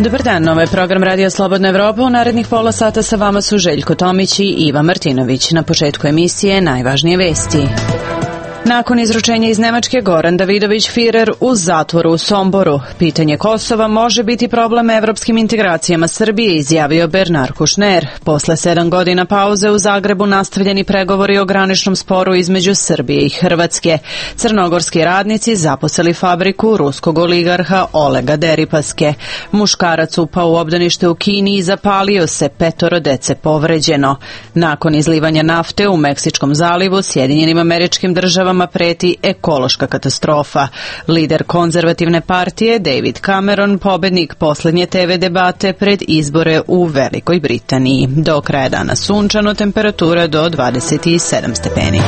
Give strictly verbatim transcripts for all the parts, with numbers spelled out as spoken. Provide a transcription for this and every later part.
Dobar dan, ovo je program Radio Slobodna Evropa. U narednih pola sata sa vama su Željko Tomić i Iva Martinović. Na početku emisije najvažnije vesti. Nakon izručenja iz Nemačke, Goran Davidović-Firer u zatvoru u Somboru. Pitanje Kosova može biti problem evropskim integracijama Srbije, izjavio Bernard Kouchner. Posle sedam godina pauze u Zagrebu nastavljeni pregovori o graničnom sporu između Srbije i Hrvatske. Crnogorski radnici zaposlili fabriku ruskog oligarha Olega Deripaske. Muškarac upao u obdanište u Kini i zapalio se, petoro dece povređeno. Nakon izlivanja nafte u Meksičkom zalivu, Sjedinjenim Američkim Državama preti ekološka katastrofa. Lider konzervativne partije David Cameron pobednik poslednje te ve debate pred izbore u Velikoj Britaniji. Do kraja dana sunčano, temperatura do dvadeset sedam stepeni.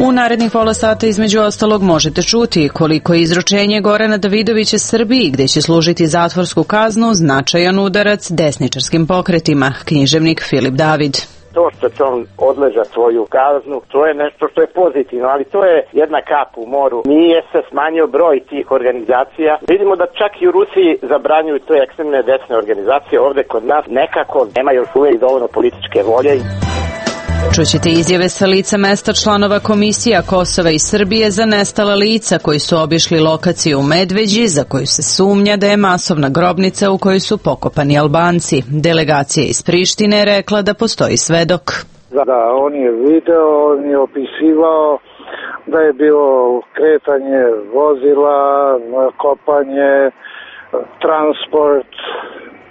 U narednih pola sata između ostalog možete čuti koliko je izručenje Gorana Davidovića Srbiji, gde će služiti zatvorsku kaznu, značajan udarac desničarskim pokretima. Književnik Filip David. To što će on odleža svoju kaznu, to je nešto što je pozitivno, ali to je jedna kap u moru. Nije se smanjio broj tih organizacija. Vidimo da čak i u Rusiji zabranjuju te ekstremne desne organizacije. Ovde kod nas nekako nema još uvijek dovoljno političke volje. Čućete izjave sa lica mesta članova komisija Kosova i Srbije za nestala lica koji su obišli lokaciju u Medveđi, za koju se sumnja da je masovna grobnica u kojoj su pokopani Albanci. Delegacija iz Prištine je rekla da postoji svedok. Da, on je video, on je opisivao da je bilo kretanje vozila, kopanje, transport,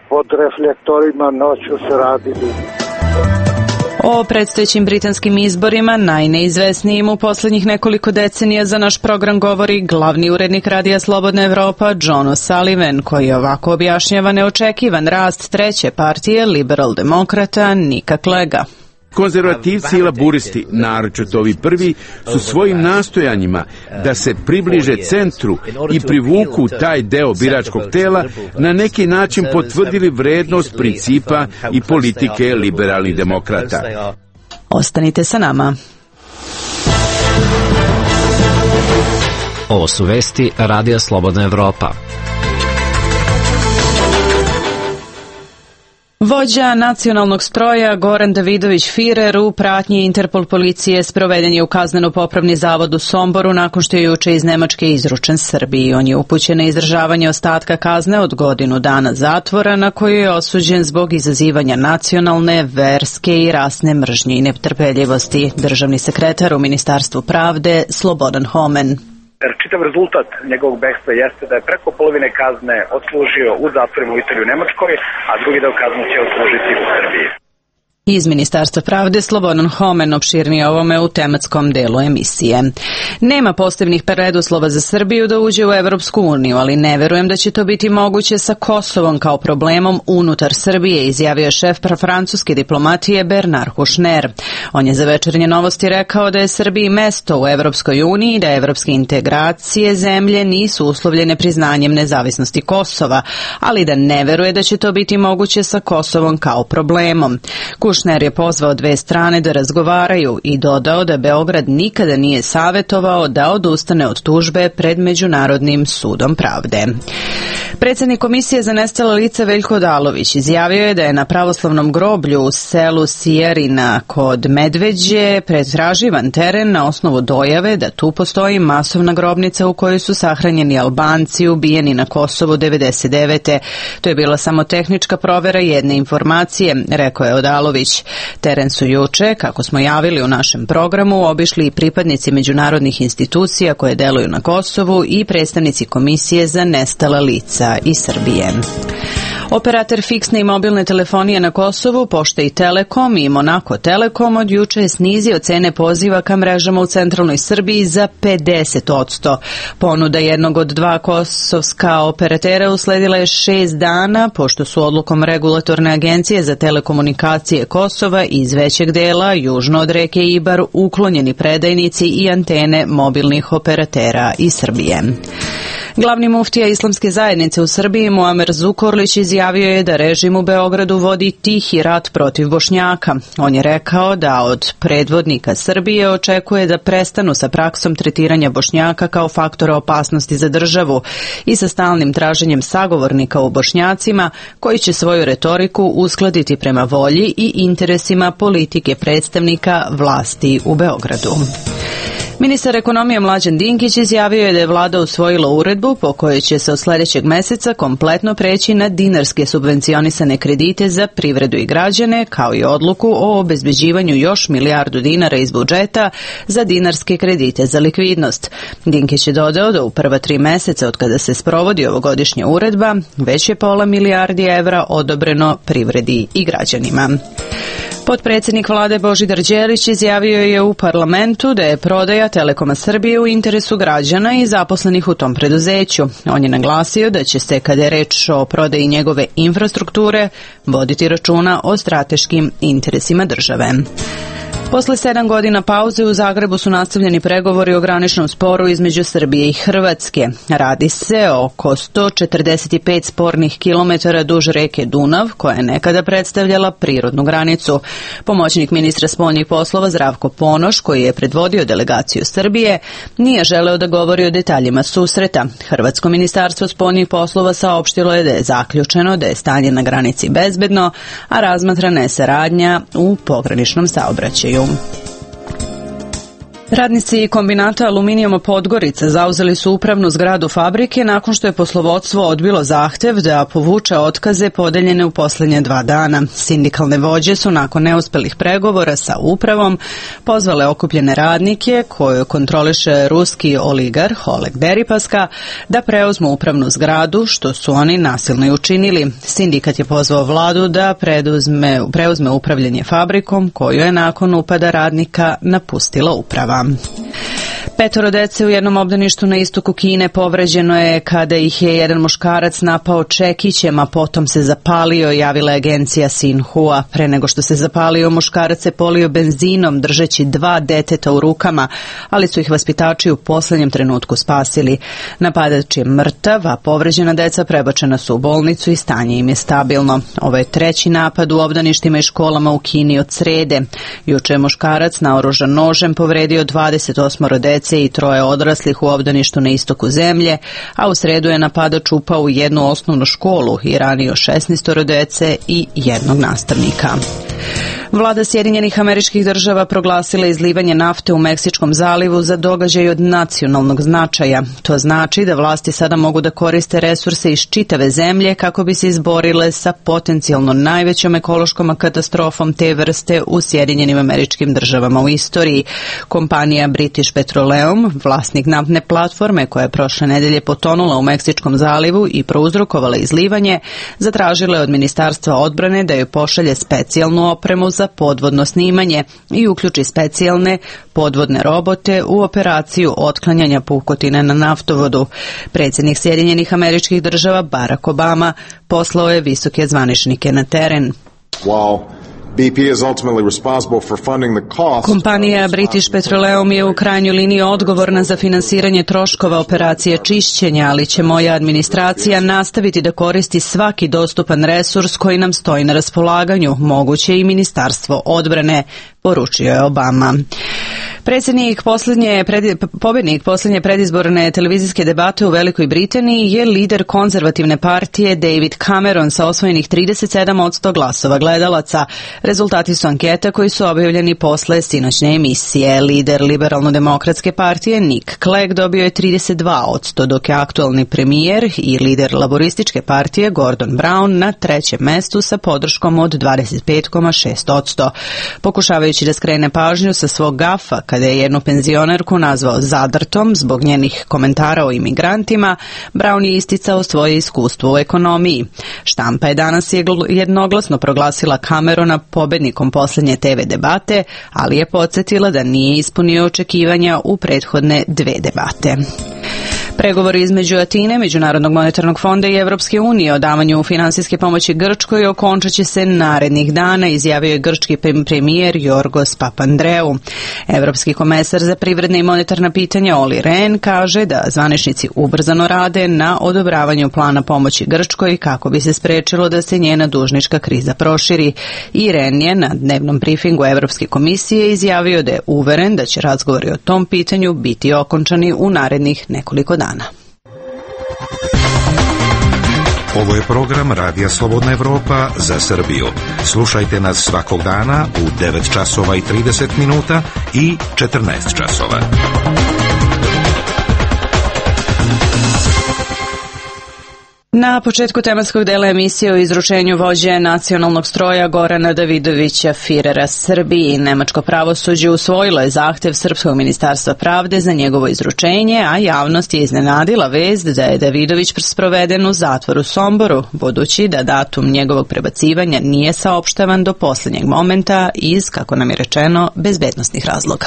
pod reflektorima noću se radili. O predstojećim britanskim izborima, najneizvesnijim u poslednjih nekoliko decenija, za naš program govori glavni urednik Radija Slobodna Evropa John O'Sullivan, koji ovako objašnjava neočekivan rast treće partije liberal-demokrata Nika Clegga. Konzervativci i laburisti, naročito ovi prvi, su svojim nastojanjima da se približe centru i privuku taj deo biračkog tela na neki način potvrdili vrednost principa i politike liberalnih demokrata. Ostanite sa nama. Ovo su vesti Radija Slobodna Evropa. Vođa nacionalnog stroja Goran Davidović-Firer u pratnji Interpol policije sproveden je u kazneno-popravni zavod u Somboru nakon što je juče iz Nemačke izručen Srbiji. On je upućen na izdržavanje ostatka kazne od godinu dana zatvora, na koju je osuđen zbog izazivanja nacionalne, verske i rasne mržnje i netrpeljivosti. Državni sekretar u Ministarstvu pravde Slobodan Homen. Čitav rezultat njegovog bekstva jeste da je preko polovine kazne odslužio u zatvorima u Italiji i u Nemačkoj, a drugi deo kazne će odslužiti u Srbiji. Iz Ministarstva pravde Slobodan Homen opširnije ovome u tematskom delu emisije. Nema posebnih preduslova za Srbiju da uđe u Evropsku uniju, ali ne verujem da će to biti moguće sa Kosovom kao problemom unutar Srbije, izjavio šef francuske diplomatije Bernard Kouchner. On je za Večernje novosti rekao da je Srbiji mesto u Evropskoj uniji i da evropske integracije zemlje nisu uslovljene priznanjem nezavisnosti Kosova, ali da ne veruje da će to biti moguće sa Kosovom kao problemom. Kouchner je pozvao dve strane da razgovaraju i dodao da Beograd nikada nije savetovao da odustane od tužbe pred Međunarodnim sudom pravde. Predsjednik Komisije za nestala lica Veljko Odalović izjavio je da je na pravoslavnom groblju u selu Sijarina kod Medveđe pretraživan teren na osnovu dojave da tu postoji masovna grobnica u kojoj su sahranjeni Albanci ubijeni na Kosovu devedeset devete. To je bila samo tehnička provera jedne informacije, rekao je Odalović. Teren su juče, kako smo javili u našem programu, obišli i pripadnici međunarodnih institucija koje deluju na Kosovu i predstavnici Komisije za nestala lica iz Srbije. Operator fiksne i mobilne telefonije na Kosovu, Pošta i Telekom i Monako Telekom od juče je snizio cene poziva ka mrežama u centralnoj Srbiji za pedeset odsto. Ponuda jednog od dva kosovska operatera usledila je šest dana, pošto su odlukom Regulatorne agencije za telekomunikacije Kosova iz većeg dela, južno od reke Ibar, uklonjeni predajnici i antene mobilnih operatera iz Srbije. Glavni muftija Islamske zajednice u Srbiji Muamer Zukorlić izjavio je da režim u Beogradu vodi tihi rat protiv Bošnjaka. On je rekao da od predvodnika Srbije očekuje da prestanu sa praksom tretiranja Bošnjaka kao faktora opasnosti za državu i sa stalnim traženjem sagovornika u Bošnjacima koji će svoju retoriku uskladiti prema volji i interesima politike predstavnika vlasti u Beogradu. Ministar ekonomije Mlađan Dinkić izjavio je da je vlada usvojila uredbu po kojoj će se od sljedećeg meseca kompletno preći na dinarske subvencionisane kredite za privredu i građane, kao i odluku o obezbeđivanju još milijardu dinara iz budžeta za dinarske kredite za likvidnost. Dinkić je dodao da u prva tri meseca od kada se sprovodi ovogodišnja uredba već je pola milijardi evra odobreno privredi i građanima. Potpredsjednik vlade Božidar Đelić izjavio je u parlamentu da je prodaja Telekoma Srbije u interesu građana i zaposlenih u tom preduzeću. On je naglasio da će se, kada je reč o prodaji njegove infrastrukture, voditi računa o strateškim interesima države. Posle sedam godina pauze u Zagrebu su nastavljeni pregovori o graničnom sporu između Srbije i Hrvatske. Radi se o oko sto četrdeset pet spornih kilometara duž reke Dunav, koja je nekada predstavljala prirodnu granicu. Pomoćnik ministra spoljnih poslova Zdravko Ponoš, koji je predvodio delegaciju Srbije, nije želeo da govori o detaljima susreta. Hrvatsko ministarstvo spoljnih poslova saopštilo je da je zaključeno da je stanje na granici bezbedno, a razmatrana je saradnja u pograničnom saobraćaju. Radnici kombinata Aluminijuma Podgorica zauzeli su upravnu zgradu fabrike nakon što je poslovodstvo odbilo zahtev da povuče otkaze podeljene u posljednje dva dana. Sindikalne vođe su nakon neuspelih pregovora sa upravom pozvale okupljene radnike, koju kontroliše ruski oligarh Oleg Deripaska, da preuzmu upravnu zgradu, što su oni nasilno i učinili. Sindikat je pozvao vladu da preuzme, preuzme upravljanje fabrikom, koju je nakon upada radnika napustila uprava. Petoro dece u jednom obdaništu na istoku Kine povređeno je kada ih je jedan muškarac napao čekićem, a potom se zapalio, javila je agencija Sinhua. Pre nego što se zapalio, muškarac se polio benzinom držeći dva deteta u rukama, ali su ih vaspitači u posljednjem trenutku spasili. Napadač je mrtav, a povređena deca prebačena su u bolnicu i stanje im je stabilno. Ovo je treći napad u obdaništima i školama u Kini od srede. Juče je muškarac naoružan nožem povredio dvadeset osam dece i troje odraslih u obdaništu na istoku zemlje, a u sredu je napadač upao u jednu osnovnu školu i ranio šesnaest dece i jednog nastavnika. Vlada Sjedinjenih Američkih Država proglasila izlivanje nafte u Meksičkom zalivu za događaj od nacionalnog značaja. To znači da vlasti sada mogu da koriste resurse iz čitave zemlje kako bi se izborile sa potencijalno najvećom ekološkom katastrofom te vrste u Sjedinjenim Američkim Državama u istoriji. Kompanija British Petroleum, vlasnik naftne platforme koja je prošle nedelje potonula u Meksičkom zalivu i prouzrokovala izlivanje, zatražila je od Ministarstva odbrane da joj pošalje specijalnu opremu za podvodno snimanje i uključi specijalne podvodne robote u operaciju otklanjanja pukotine na naftovodu. Predsjednik Sjedinjenih Američkih Država Barack Obama poslao je visoke zvaničnike na teren. Wow. B P is ultimately responsible for funding the cost. Kompanija British Petroleum je u krajnjoj liniji odgovorna za finansiranje troškova operacije čišćenja, ali će moja administracija nastaviti da koristi svaki dostupan resurs koji nam stoji na raspolaganju, moguće i Ministarstvo odbrane, poručio je Obama. Predsjednik posljednje, pred, pobjednik posljednje predizborne televizijske debate u Velikoj Britaniji je lider konzervativne partije David Cameron sa osvojenih trideset sedam posto glasova gledalaca. Rezultati su anketa koji su objavljeni posle sinoćne emisije. Lider liberalno-demokratske partije Nick Clegg dobio je trideset dva posto, dok je aktualni premijer i lider laborističke partije Gordon Brown na trećem mestu sa podrškom od dvadeset pet zarez šest posto. Pokušavajući da skrene pažnju sa svog gafa kada je jednu penzionerku nazvao zadrtom zbog njenih komentara o imigrantima, Brown je isticao svoje iskustvo u ekonomiji. Štampa je danas jednoglasno proglasila Camerona pobednikom posljednje te ve debate, ali je podsjetila da nije ispunio očekivanja u prethodne dve debate. Pregovori između Atine, Međunarodnog monetarnog fonda i Evropske unije o davanju finansijske pomoći Grčkoj okončat će se narednih dana, izjavio je grčki premijer Jorgos Papandreou. Evropski komesar za privredne i monetarna pitanja Olli Rehn kaže da zvaničnici ubrzano rade na odobravanju plana pomoći Grčkoj kako bi se sprečilo da se njena dužnička kriza proširi. I Rehn je na dnevnom brifingu Evropske komisije izjavio da je uveren da će razgovori o tom pitanju biti okončani u narednih nekoliko dana. Ovo je program Radija Slobodna Evropa za Srbiju. Slušajte nas svakog dana u devet časova i trideset minuta i četrnaest časova. Na početku tematskog dela emisije o izručenju vođe nacionalnog stroja Gorana Davidovića Firera Srbiji, nemačko pravosuđe usvojilo je zahtev Srpskog ministarstva pravde za njegovo izručenje, a javnost je iznenadila vest da je Davidović sproveden u zatvoru u Somboru, budući da datum njegovog prebacivanja nije saopštavan do poslednjeg momenta iz, kako nam je rečeno, bezbednosnih razloga.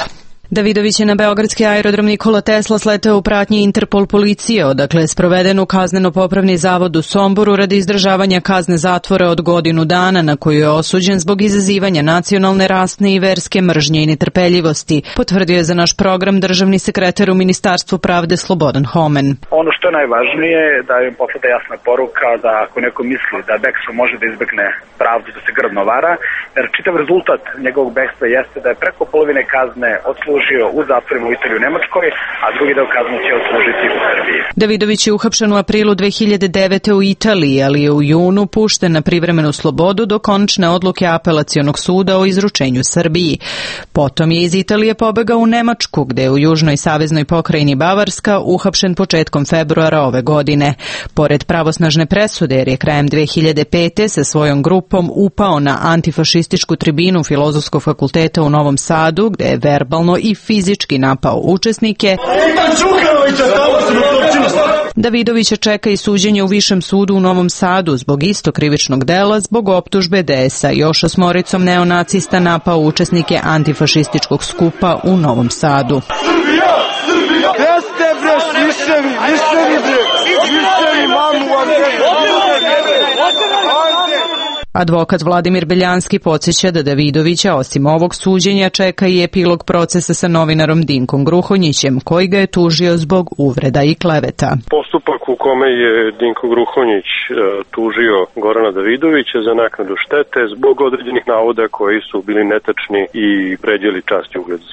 Davidović je na beogradski aerodrom Nikola Tesla sleteo u pratnji Interpol policije, odakle je sproveden u kazneno-popravni zavod u Somboru radi izdržavanja kazne zatvora od godinu dana na koju je osuđen zbog izazivanja nacionalne, rasne i verske mržnje i netrpeljivosti, potvrdio je za naš program državni sekretar u Ministarstvu pravde Slobodan Homen. Ono što je najvažnije da im posleda jasna poruka da ako neko misli da bekstvom može da izbegne pravdu, da se grdno vara, jer čitav rezultat njegovog bekstva jeste da je preko polovine kazne odslužio u zatvorima u Italiji u Nemačkoj, a drugi deo kazne će odslužiti u Srbiji. Davidović je uhapšen u aprilu dve hiljade devete u Italiji, ali je u junu pušten na privremenu slobodu do konačne odluke Apelacionog suda o izručenju Srbiji. Potom je iz Italije pobegao u Nemačku, gde je u južnoj saveznoj pokrajini Bavarska uhapšen početkom februara ove godine. Pored pravosnažne presude, jer je krajem dve hiljade pete sa svojom grupom upao na antifašističku tribinu Filozofskog fakulteta u Novom Sadu, gde je verbalno i fizički napao učesnike, Davidovića čeka i suđenje u Višem sudu u Novom Sadu zbog isto krivičnog dela, zbog optužbe da je sa još osmoricom neonacista napao učesnike antifašističkog skupa u Novom Sadu. Srbija! Srbija! Gde ste bre, sviševi, viševi bre, viševi mamu vam Advokat Vladimir Beljanski podsjeća da Davidovića osim ovog suđenja čeka i epilog procesa sa novinarom Dinkom Gruhonjićem, koji ga je tužio zbog uvreda i kleveta. Postupak u kome je Dinko Gruhonjić e, tužio Gorana Davidovića za naknadu štete zbog određenih navoda koji su bili netačni i pređeli čast i ugled e,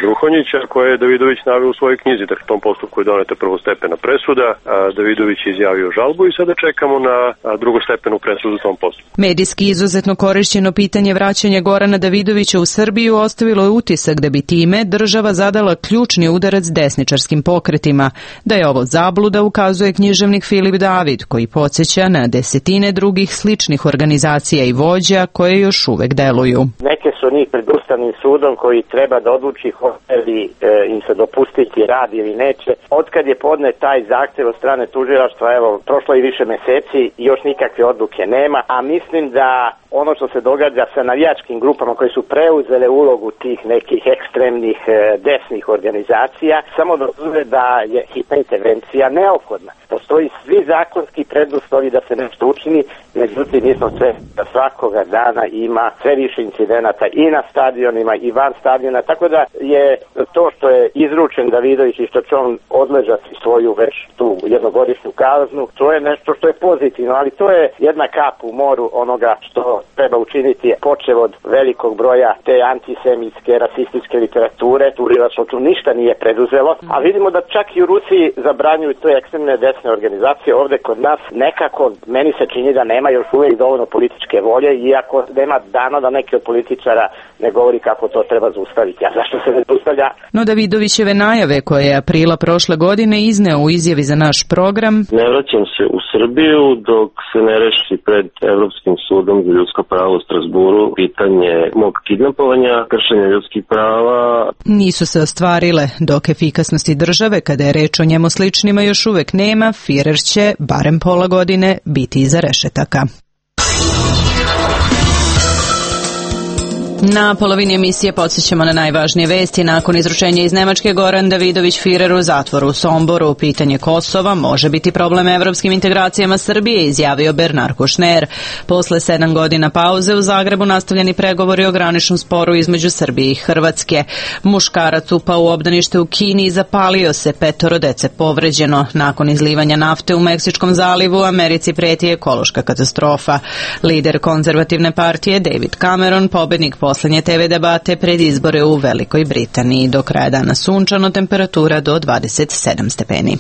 Gruhonjića, koje je Davidović naveo u svojoj knjizi. Dakle, u tom postupku je doneta prvostepena presuda, a Davidović je izjavio žalbu i sada čekamo na drugostepenu presudu u tom postupku. Medijski izuzetno korišćeno pitanje vraćanja Gorana Davidovića u Srbiju ostavilo je utisak da bi time država zadala ključni udarac desničarskim pokretima. Da je ovo zabluda ukazuje književnik Filip David, koji podsjeća na desetine drugih sličnih organizacija i vođa koje još uvek deluju. Neke su njih pred Ustavnim sudom koji treba da odluči hoće li e, im se dopustiti rad ili neće. Otkad je podnet taj zahtev od strane tužilaštva, evo, prošlo i više meseci i još nikakve odluke nema, a mislim da ono što se događa sa navijačkim grupama koje su preuzele ulogu tih nekih ekstremnih e, desnih organizacija, samo dokazuje da je hitna intervencija neophodna. Postoji svi zakonski preduslovi da se nešto učini, međutim mi smo sve da svakoga dana ima sve više incidenata i na stadionima i van stadiona, tako da je to što je izručen Davidović i što će on odležati svoju već tu jednogodišnju kaznu, to je nešto što je pozitivno, ali to je jedna kap u moru onoga što treba učiniti, počev od velikog broja te antisemitske, rasističke literature, tužilaštvo tu ništa nije preduzelo, a vidimo da čak i u Rusiji zabranjuju te ekstremne desne organizacije. Ovde kod nas nekako meni se čini da nema još uvijek dovoljno političke volje, iako nema dana da neki od političara ne govori kako to treba zaustaviti. A zašto se ne zaustavlja? No Davidovićeve najave koje je aprila prošle godine izneo u izjavi za naš program: Ne vraćam se u Srbiju dok se ne reši pred Evropskim sudom za ljudska prava u Strasburu pitanje mog kidnapovanja, kršenja ljudskih prava. Nisu se ostvarile, dok efikasnosti države, kada je reč o njemu sličnima, još uvek nema, Firer će, barem pola godine, biti iza rešetaka. Na polovini emisije podsjećamo na najvažnije vesti. Nakon izručenja iz Nemačke, Goran Davidović Firer u zatvoru u Somboru. Pitanje Kosova može biti problem evropskim integracijama Srbije, izjavio Bernard Kouchner. Posle sedam godina pauze u Zagrebu nastavljeni pregovori o graničnom sporu između Srbije i Hrvatske. Muškarac upao u obdanište u Kini i zapalio se, petoro dece povređeno. Nakon izlivanja nafte u Meksičkom zalivu, Americi preti ekološka katastrofa. Lider konzervativne partije David Cameron, pobednik poslednje te ve debate pred izbore u Velikoj Britaniji. Do kraja dana sunčano, temperatura do dvadeset sedam stepeni.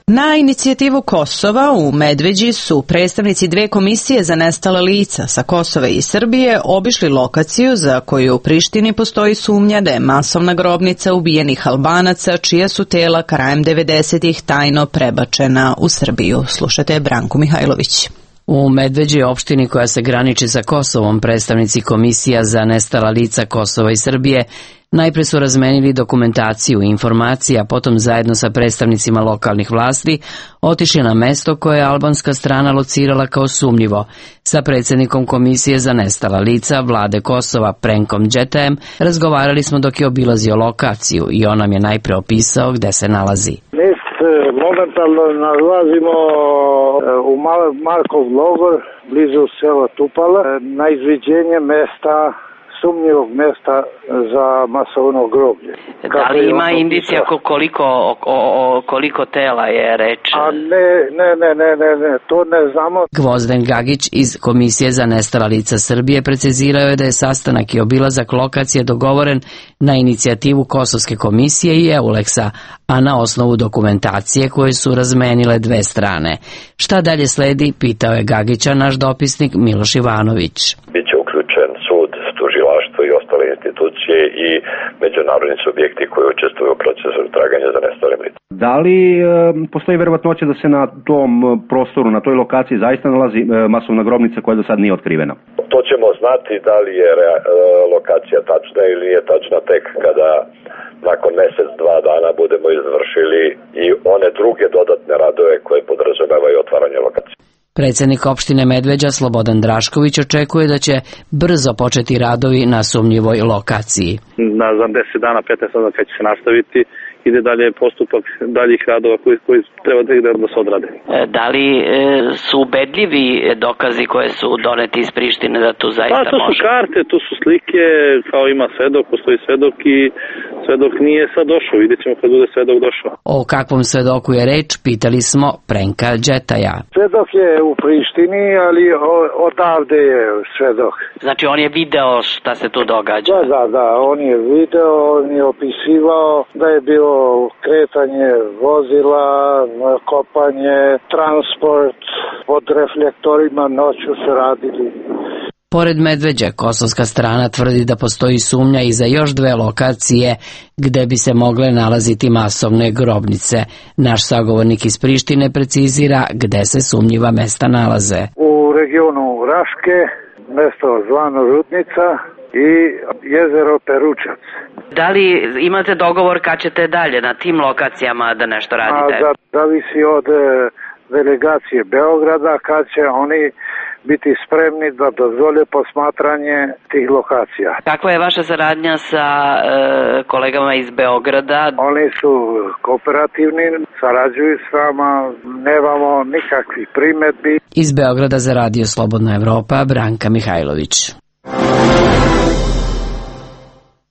Na inicijativu Kosova u Medveđi su predstavnici dve komisije za nestala lica sa Kosova i Srbije obišli lokaciju za koju u Prištini postoji sumnja da je masovna grobnica ubijenih Albanaca, čija su tela krajem devedesetih tajno prebačena u Srbiju. Slušate Branku Mihajlović. U Medveđi, opštini koja se graniči sa Kosovom, predstavnici komisija za nestala lica Kosova i Srbije najpre su razmenili dokumentaciju i informacije, a potom zajedno sa predstavnicima lokalnih vlasti otišli na mesto koje je albanska strana locirala kao sumnjivo. Sa predsjednikom komisije za nestala lica Vlade Kosova Prenkom Đetajem razgovarali smo dok je obilazio lokaciju i on nam je najpre opisao gde se nalazi. Mi se momentalno nalazimo u Markov logor blizu sela Tupala na izviđenje mesta sumnjivog mesta za masovno groblje. Da li ima indicija koliko, o, o, koliko tela je reč? A ne, ne, ne, ne, ne, ne, to ne znamo. Gvozden Gagić iz Komisije za nestala lica Srbije precizirao je da je sastanak i obilazak lokacije dogovoren na inicijativu Kosovske komisije i Euleksa, a na osnovu dokumentacije koje su razmenile dve strane. Šta dalje sledi, pitao je Gagića naš dopisnik Miloš Ivanović. Biće uključen sud, tužilaštvo i ostale institucije i međunarodni subjekti koji učestvuju u procesu traganja za nestalim licima. Da li e, postoji verovatnoća da se na tom prostoru, na toj lokaciji zaista nalazi e, masovna grobnica koja do sad nije otkrivena? To ćemo znati da li je re, e, lokacija tačna ili nije tačna tek kada nakon mjesec, dva dana budemo izvršili i one druge dodatne radove koje podrazumevaju otvaranje lokacije. Predsjednik opštine Medveđa Slobodan Drašković očekuje da će brzo početi radovi na sumnjivoj lokaciji. Na za deset dana, petnaest dana kad će se nastaviti, ide dalje postupak daljih radova koji, koji treba da se odrade. Da li e, su ubedljivi dokazi koje su doneti iz Prištine da tu zaista može? Pa, to su može? karte, tu su slike, kao ima svedok, postoji svedok i svedok nije sad došao, vidjet ćemo kad bude svedok došao. O kakvom svedoku je reč, pitali smo Prenka Đetaja. Svedok je u Prištini, ali odavde je svedok. Znači on je video šta se tu događa? Da, da, da, on je video, on je opisivao da je bilo kretanje vozila, kopanje, transport, pod reflektorima noću se radili. Pored Medveđe, kosovska strana tvrdi da postoji sumnja i za još dve lokacije gde bi se mogle nalaziti masovne grobnice. Naš sagovornik iz Prištine precizira gde se sumnjiva mesta nalaze. U regionu Raške, mesto zvano Rudnica i jezero Peručac. Da li imate dogovor kad ćete dalje na tim lokacijama da nešto radite? A, zavisi od e, delegacije Beograda kad će oni biti spremni da dozvole posmatranje tih lokacija. Kakva je vaša saradnja sa e, kolegama iz Beograda? Oni su kooperativni, sarađuju s nama, nemamo nikakvih primedbi. Iz Beograda za Radio Slobodna Evropa, Branka Mihajlović.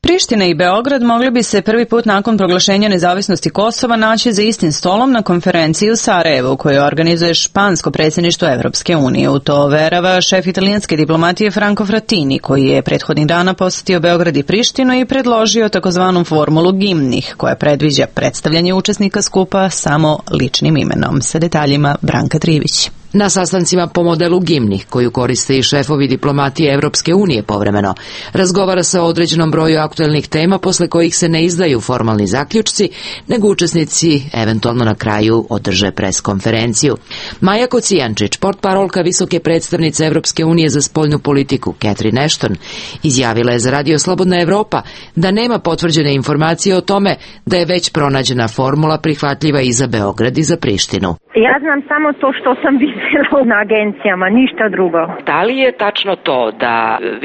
Priština i Beograd mogli bi se prvi put nakon proglašenja nezavisnosti Kosova naći za istim stolom na konferenciji u Sarajevu koju organizuje špansko predsjedništvo Evropske unije. U to verava šef italijanske diplomatije Franco Frattini, koji je prethodnih dana posjetio Beograd i Prištinu i predložio takozvanu formulu gimnih, koja predviđa predstavljanje učesnika skupa samo ličnim imenom. Sa detaljima Branka Trivić. Na sastancima po modelu gimnih, koju koriste i šefovi diplomatije Evropske unije povremeno, razgovara se o određenom broju aktuelnih tema posle kojih se ne izdaju formalni zaključci, nego učesnici eventualno na kraju održe preskonferenciju. Maja Kocijančić, portparolka visoke predstavnice Evropske unije za spoljnu politiku, Catherine Ashton, izjavila je za Radio Slobodna Evropa da nema potvrđene informacije o tome da je već pronađena formula prihvatljiva i za Beograd i za Prištinu. Ja znam samo to što sam videla zaposlila na agencijama, ništa drugo. Da li je tačno to da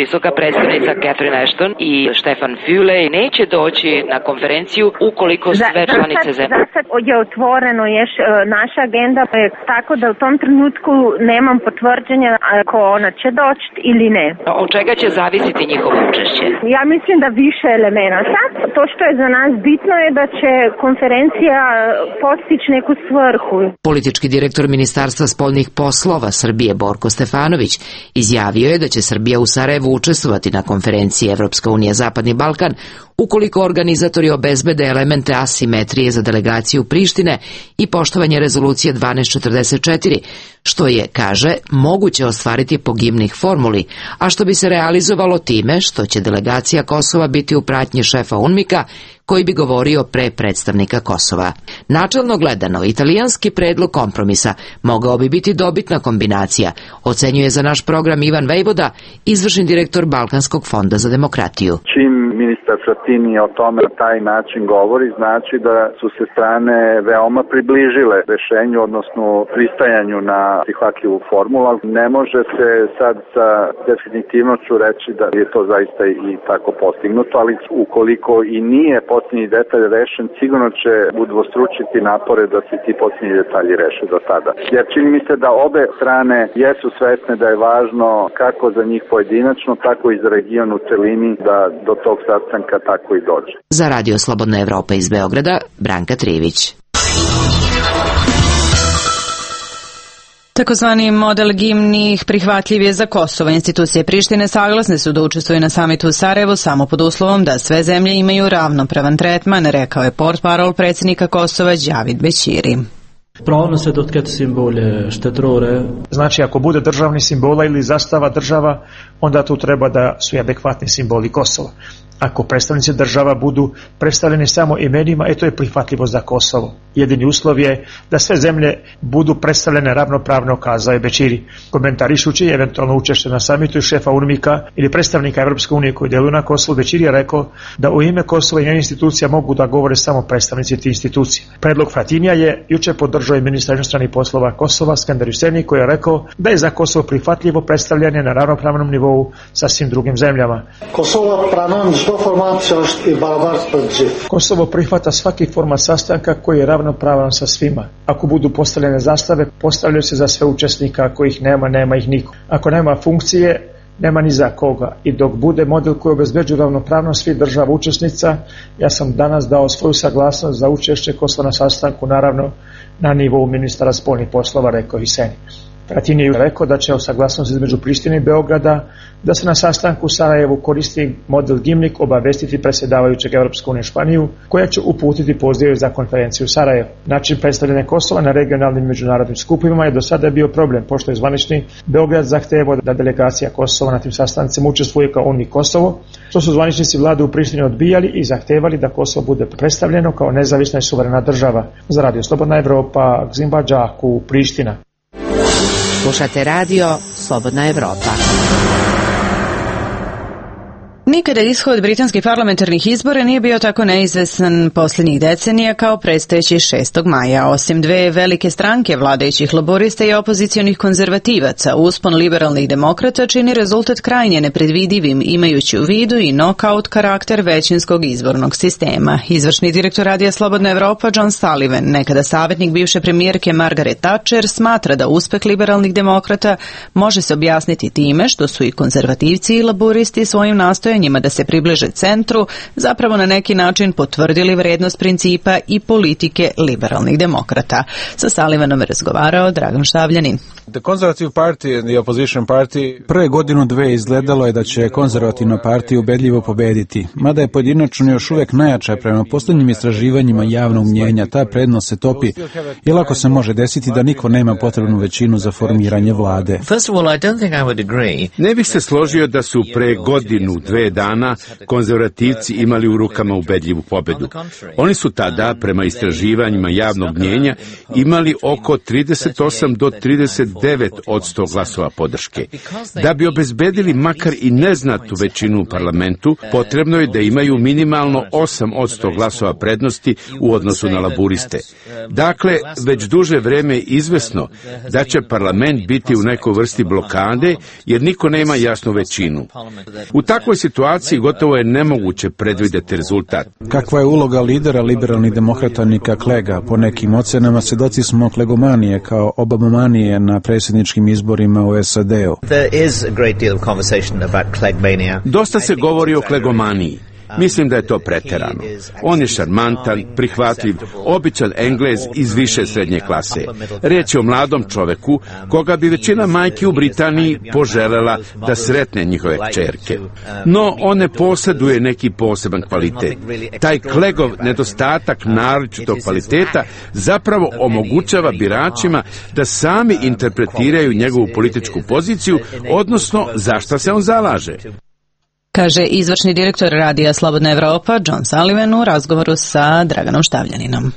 visoka predstavnica Catherine Ashton i Stefan Füle neće doći na konferenciju ukoliko sve članice zemlje? Za sad je otvoreno još naša agenda, tako da u tom trenutku nemam potvrđenja ako ona će doći ili ne. Od čega će zavisiti njihovo učešće? Ja mislim da više elemenata. To što je za nas bitno je da će konferencija postići neku svrhu. Politički direktor Ministarstva spoljnih poslova Srbije Borko Stefanović izjavio je da će Srbija u Sarajevu učestvovati na konferenciji Evropska unija Zapadni Balkan ukoliko organizatori obezbede elemente asimetrije za delegaciju Prištine i poštovanje rezolucije dvanaest četrdeset četiri, što je, kaže, moguće ostvariti po gimnih formuli, a što bi se realizovalo time što će delegacija Kosova biti u pratnji šefa UNMIK-a koji bi govorio pre predstavnika Kosova. Načelno gledano, italijanski predlog kompromisa mogao bi biti dobitna kombinacija, ocenjuje za naš program Ivan Vejvoda, izvršni direktor Balkanskog fonda za demokratiju. Čim ministar Frattini o tome na taj način govori, znači da su se strane veoma približile rešenju, odnosno pristajanju na prihvatljivu formulu. Ne može se sad sa definitivnoću reći da je to zaista i tako postignuto, ali ukoliko i nije posljednji detalj rešen, sigurno će udvostručiti napore da se ti posljednji detalji reše do tada. Jer čini mi se da obe strane jesu svesne da je važno kako za njih pojedinačno, tako i za region u celini da do tog sastanka tako i dođe. Za Radio Slobodna Evropa iz Beograda, Branka Trivić. Takozvani model gimnih prihvatljiv je za Kosovo. Institucije Prištine saglasne su da učestvuju na samitu u Sarajevu samo pod uslovom da sve zemlje imaju ravnopravan tretman, rekao je portparol predsjednika Kosova Đavid Bećiri. Pravno se dotkati simbole štetrore. Znači, ako bude državni simbola ili zastava država, onda tu treba da su adekvatni simboli Kosova. Ako predstavnici država budu predstavljeni samo imenima, e to je prihvatljivo za Kosovo. Jedini uslov je da sve zemlje budu predstavljene ravnopravno, kazao je Bećiri. Komentarišući eventualno učešće na samitu šefa UNMIK-a ili predstavnika Evropske unije koji djeluju na Kosovu, Bećiri je rekao da u ime Kosova i njenih institucija mogu da govore samo predstavnici tih institucija. Predlog Fratinija je juče podržao i ministar inostranih poslova Kosova Skender Huseni, koji je rekao da je za Kosovo prihvatljivo predstavljanje na ravnopravnom nivou sa svim drugim zemljama. Kosovo pranon Kosovo prihvata svaki format sastanka koji je ravnopravan sa svima. Ako budu postavljene zastave, postavljaju se za sve učesnika, ako ih nema, nema ih niko. Ako nema funkcije, nema ni za koga. I dok bude model koji obezbeđuje ravnopravnost svih država učesnica, ja sam danas dao svoju saglasnost za učešće Kosova na sastanku, naravno na nivou ministara spoljnih poslova, rekao Huseni. Frattini je rekao da će o saglasnosti između Prištine i Beograda da se na sastanku u Sarajevu koristi model gimnik obavestiti predsjedavajućeg Evropske unije Španiju, koja će uputiti pozive za konferenciju u Sarajevu. Način predstavljanja Kosova na regionalnim međunarodnim skupovima je do sada bio problem, pošto je zvanični Beograd zahtevao da delegacija Kosova na tim sastancima učestvuje kao UNMIK Kosovo, što su zvaničnici vlade u Prištini odbijali i zahtevali da Kosovo bude predstavljeno kao nezavisna i suverena država. Za Radio Slobodna Evropa, Gzimba Đaku, Priština. Slušate radio Slobodna Evropa. Nikada ishod britanskih parlamentarnih izbora nije bio tako neizvesan posljednjih decenija kao predstojeći šestog maja. Osim dve velike stranke vladajućih laborista i opozicionih konzervativaca, uspon liberalnih demokrata čini rezultat krajnje nepredvidivim, imajući u vidu i nokaut karakter većinskog izbornog sistema. Izvršni direktor Radija Slobodna Evropa John Sullivan, nekada savjetnik bivše premijerke Margaret Thatcher, smatra da uspeh liberalnih demokrata može se objasniti time što su i konzervativci i laboristi svojim nastojanjima da se približe centru, zapravo na neki način potvrdili vrednost principa i politike liberalnih demokrata. Sa Sullivanom je razgovarao Dragan Štavljanin. Prve godinu dve izgledalo je da će konzervativna partija ubedljivo pobediti, mada je pojedinačno još uvijek najjača prema posljednjim istraživanjima javnog mnjenja. Ta prednost se topi i lako se može desiti da niko nema potrebnu većinu za formiranje vlade. Ne bih se složio da su pre godinu, dve dana konzervativci imali u rukama ubedljivu pobedu. Oni su tada, prema istraživanjima javnog mnjenja, imali oko trideset osam do trideset devet posto glasova podrške. Da bi obezbedili makar i neznatnu većinu u parlamentu, potrebno je da imaju minimalno osam posto glasova prednosti u odnosu na laburiste. Dakle, već duže vreme je izvesno da će parlament biti u nekoj vrsti blokade, jer niko nema jasnu većinu. U takvoj situaciji gotovo je nemoguće predvidjeti rezultat. Kakva je uloga lidera liberalnih demokrata Nika Clegga? Po nekim ocenama svedoci smo klegomanije kao Obamanije na predsjedničkim izborima u S A D-u. Dosta se govori o klegomaniji. Mislim da je to preterano. On je šarmantan, prihvatljiv, običan Englez iz više srednje klase. Riječ je o mladom čoveku koga bi većina majki u Britaniji poželela da sretne njihove kćerke. No, on ne posjeduje neki poseban kvalitet. Taj Cleggov nedostatak naročitog kvaliteta zapravo omogućava biračima da sami interpretiraju njegovu političku poziciju, odnosno za šta se on zalaže. Kaže izvršni direktor radija Slobodna Evropa John Sullivan u razgovoru sa Draganom Štavljaninom.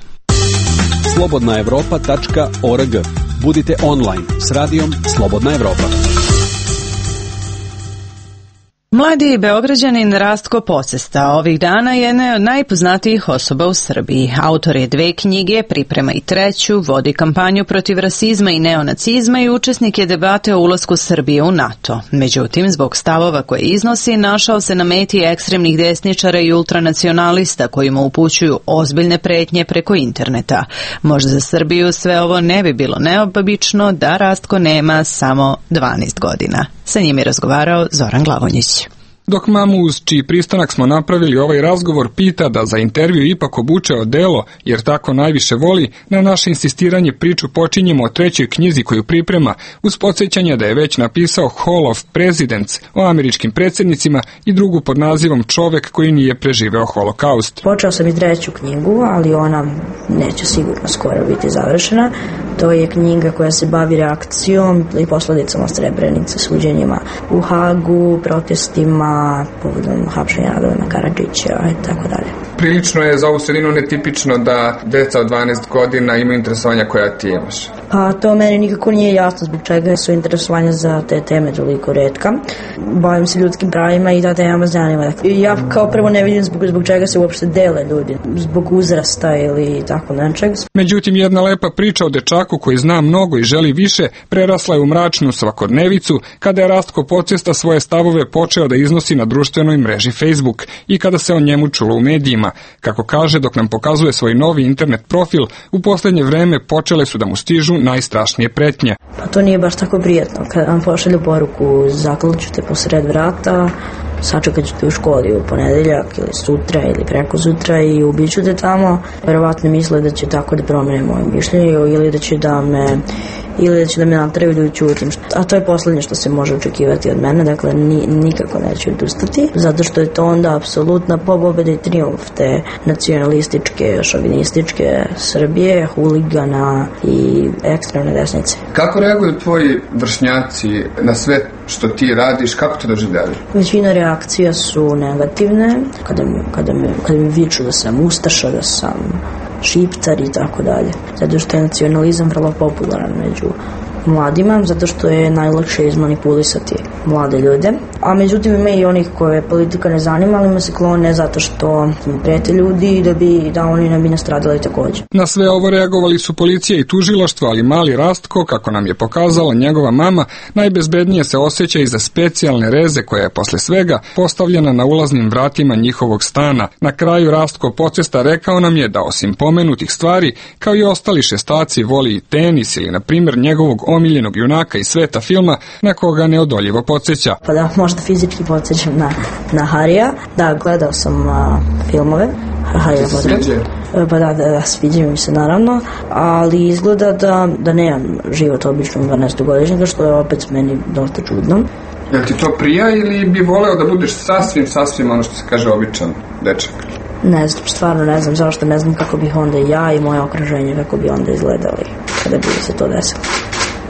slobodna evropa tačka org. Budite online s radijom Slobodna Evropa. Mladi Beograđanin Rastko Pocesta ovih dana je jedna od najpoznatijih osoba u Srbiji. Autor je dve knjige, priprema i treću, vodi kampanju protiv rasizma i neonacizma i učesnik je debate o ulasku Srbije u NATO. Međutim, zbog stavova koje iznosi, našao se na meti ekstremnih desničara i ultranacionalista koji mu upućuju ozbiljne pretnje preko interneta. Možda za Srbiju sve ovo ne bi bilo neobično da Rastko nema samo dvanaest godina. Sa njim je razgovarao Zoran Glavonjić. Dok mamu uz čiji pristanak smo napravili ovaj razgovor pita da za intervju ipak obuče odelo, jer tako najviše voli, na naše insistiranje priču počinjemo o trećoj knjizi koju priprema, uz podsjećanje da je već napisao Hall of Presidents o američkim predsjednicima i drugu pod nazivom Čovek koji nije preživeo holokaust. Počeo sam i treću knjigu, ali ona neće sigurno skoro biti završena. To je knjiga koja se bavi reakcijom i posledicama Srebrenice, suđenjima u Hagu, protestima, povodom hapšenja Radovana Karadžića i tako dalje. Prilično je za ovu sredinu netipično da deca od dvanaest godina imaju interesovanja koja ti imaš. Pa to meni nikako nije jasno zbog čega su interesovanja za te teme toliko retka. Bavim se ljudskim pravima i ta tema zanima. Ja kao prvo ne vidim zbog, zbog čega se uopšte dele ljudi, zbog uzrasta ili tako nečeg. Međutim, jedna lepa priča o dečaku koji zna mnogo i želi više prerasla je u mračnu svakodnevicu kada je Rastko Pocesta svoje stavove počeo da iznosi na društvenoj mreži Facebook i kada se o njemu čulo u medijima. Kako kaže, dok nam pokazuje svoj novi internet profil, u posljednje vreme počele su da mu stižu najstrašnije pretnje. Pa to nije baš tako prijatno. Kad vam pošalju poruku zaklaću te posred vrata, sačekat ću te u školi u ponedeljak ili sutra ili preko sutra i ubiću te tamo. Verovatno misle da će tako da promene moje mišljenje ili da će da me ili da će da me natraju da ćutim. A to je poslednje što se može očekivati od mene, dakle ni, nikako neću odustati, zato što je to onda apsolutna pobeda i trijumf te nacionalističke, šovinističke Srbije, huligana i ekstremne desnice. Kako reaguju tvoji vršnjaci na sve što ti radiš, kako to doživljavaju? Većina reakcija su negativne, kada mi, kada mi, kada mi viču da sam ustaša, da sam šiptar i tako dalje. Zato što je nacionalizam vrlo popularan među mladima, zato što je najlakše izmanipulisati mlade ljude. A međutim ima i onih koje politika ne zanima, ali ima se klone zato što im prete ljudi da bi da oni ne bi nastradali također. Na sve ovo reagovali su policija i tužilaštvo, ali mali Rastko, kako nam je pokazala njegova mama, najbezbednije se osjeća iza specijalne reze koja je posle svega postavljena na ulaznim vratima njihovog stana. Na kraju Rastko Pocesta rekao nam je da osim pomenutih stvari, kao i ostali šestaci voli i tenis ili na primjer njegovog omiljenog junaka iz sveta filma na koga neodoljivo podsjeća. Pa da, možda fizički podsjećam na, na Harija. Da, gledao sam a, filmove. Harija Potter. Pa da, da, da, sviđaju mi se naravno, ali izgleda da, da nemam život običnog dvanaestogodišnjaka, što je opet meni dosta čudno. Jel ti to prija ili bi voleo da budeš sasvim, sasvim ono što se kaže običan dečak? Ne znam, stvarno ne znam, zašto ne znam kako bih onda ja i moje okruženje, kako bi onda izgledali kada bi se to desilo.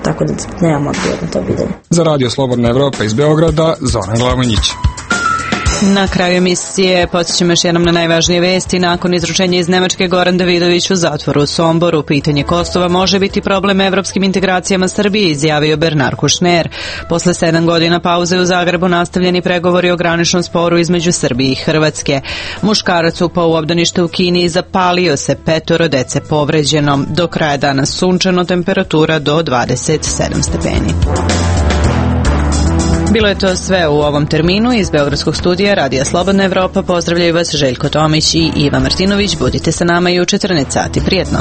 Tako da nemam odgovor na to pitanje. Za Radio Slobodna Evropa iz Beograda, Zoran Glavonjić. Na kraju emisije podsjećamo još jednom na najvažnije vesti. Nakon izručenja iz Nemačke, Goran Davidović u zatvoru u Somboru. Pitanje Kosova može biti problem evropskim integracijama Srbije, izjavio Bernard Kouchner. Posle sedam godina pauze u Zagrebu nastavljeni pregovori o graničnom sporu između Srbije i Hrvatske. Muškarac upao u obdanište u Kini i zapalio se, petoro dece povređeno. Do kraja dana sunčano, temperatura do dvadeset sedam stepeni. Bilo je to sve u ovom terminu. Iz Beogradskog studija Radija Slobodna Evropa pozdravljaju vas Željko Tomić i Iva Martinović. Budite sa nama i u četrnaest sati. Prijetno.